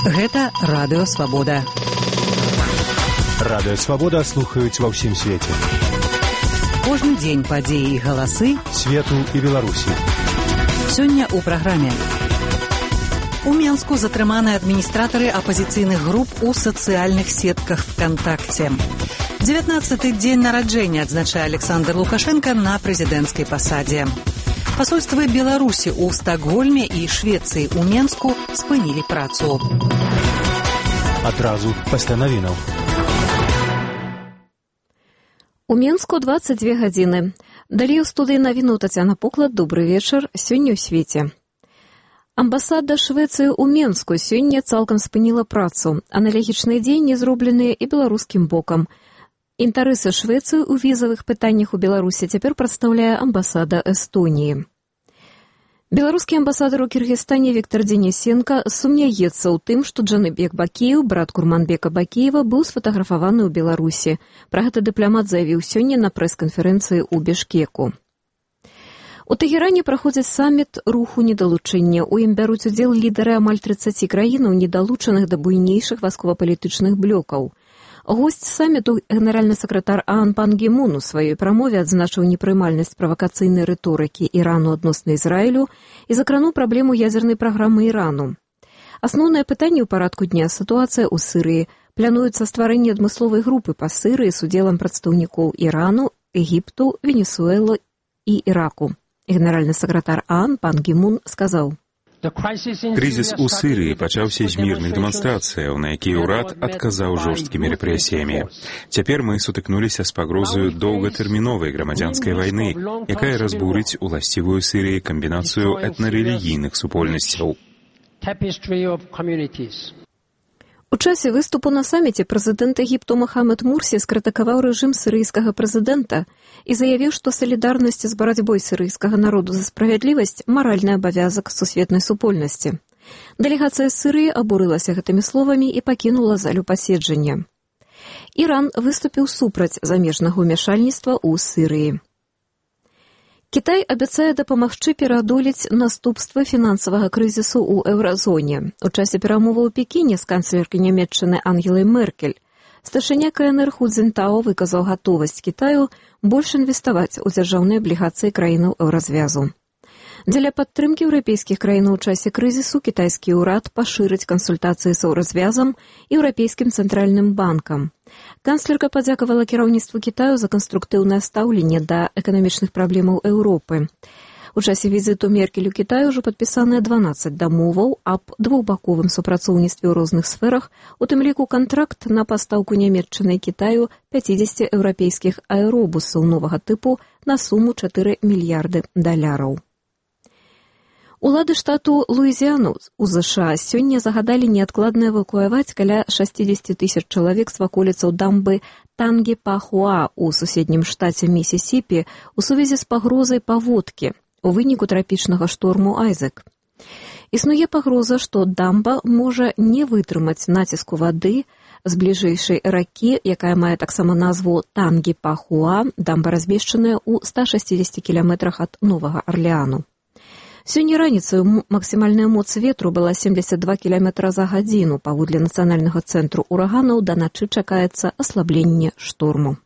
Гэта Радыё Свабода. Радыё Свабода слухаюць ва ўсім свеце. Кожны дзень падзеі і галасы свету і Беларусі. Сёння ў праграме. У Менску затрыманы адміністратары апазіцыйных груп у сацыяльных сетках ВКонтакце. 19-й дзень нараджэння адзначае Александр Лукашенко на прэзідэнцкай пасадзе. Пасольствы Беларусі ў Стакгольме і Швецыі ў Менску спынілі працу. Адразу пасля навінаў. У Менску 22 гадзіны. Далей у студыі навінаў Тацяна Поклад. Добры вечар. Сёння ў свеце. Амбасада Швецыі ў Менску сёння цалкам спыніла працу. Аналагічныя дзеянні зробленыя і беларускім бокам. Інтарэсы Швецыі ў візавых пытаннях у Беларусі цяпер прадстаўляе амбасада Эстоніі. Беларускі амбасадар у Кіргізстане Віктор Денисенко сумняецца ў тым, што Джаныбек Бакеев, брат Курманбека Бакеева, быў сфотаграфаваны ў Беларусі. Пра гэта дыпламат заявіў сёння на прэс-канферэнцыі ў Бішкеку. У Тэгеране праходзіць саміт руху недалучэння. У ім бяруць удзел лідары амаль 30 краінаў, недалучаных да буйнейшых вайсковапалітычных блокаў. Госць саміту, генеральны сакратар АОН Пан Гі Мун у сваёй прамове адзначыў непрымальнасць правакацыйнай рыторыкі Ірану адносна Ізраілю і закрануў праблему ядзернай праграмы Ірану. Асноўнае пытанне ў парадку дня – сітуацыя ў Сірыі. Плануецца стварэнне адмысловай групы па Сірыі з удзелам прадстаўнікоў Ірану, Егіпту, Венесуэлы і Іраку. Генеральны сакратар АОН Пан Гі Мун сказаў: Крызіс у Сірыі пачаўся з мірных дэманстрацыяў, на якія ўрад адказаў жорсткімі рэпрэсіямі. Цяпер мы сутыкнуліся з пагрозаю доўгатэрміновай грамадзянскай вайны, якая разбурыць уласцівую Сірыі камбінацыю этнарэлігійных супольнасцяў. У часе выступу на саміце прэзідэнт Егіпту Мохамед Мурсі скрытыкаваў рэжым сірыйскага прэзідэнта і заявіў, што салідарнасць з барацьбой сірыйскага народу за справядлівасць – маральны абавязак сусветнай супольнасці. Дэлегацыя Сірыі абурылася гэтымі словамі і пакінула залю паседжання. Іран выступіў супраць замежнага ўмяшальніцтва ў Сірыі. Кітай абяцае дапамагчы пераадолець наступствы фінансавага крызісу ў еўразоне. У часе перамоваў у Пекіне з канцлеркай Нямецчыны Ангелай Меркель старшыня КНР Ху Цзінтао выказаў гатовасць Кітаю больш інвеставаць у дзяржаўныя аблігацыі краінаў еўразвязу. Дзеля падтрымкі еўрапейскіх краінаў у часе крызісу кітайскі ўрад пашырыць кансультацыі з еўразвязам і Еўрапейскім цэнтральным банкам. Канцлерка падзякавала кіраўніцтву Кітаю за канструктыўнае стаўленне да эканамічных праблемаў Еўропы. У часе візіту Меркель у Кітай ужо падпісаныя 12 дамоваў аб двухбаковым супрацоўніцтве ў розных сферах, у тым ліку кантракт на пастаўку Нямецчыны і Кітаю 50 еўрапейскіх аэробусаў новага тыпу на суму $4 мільярды. Улады штату Луізіяну ў ЗША сёння загадалі неадкладна эвакуяваць каля 60 000 чалавек з ваколіцаў дамбы Тангі-Пахуа ў суседнім штаце Місісіпі ў сувязі з пагрозай паводкі у выніку трапічнага шторму Айзек. Існуе пагроза, што дамба можа не вытрымаць націску вады з бліжэйшай ракі, якая мае таксама назву Тангі-Пахуа, дамба размешчаная ў 160 кіламетрах ад Новага Арлеану. Сёння раніцаю максімальная моц ветру была 72 км за гадзіну. Паводле Нацыянальнага цэнтру ураганаў да начы чакаецца аслабленне шторму.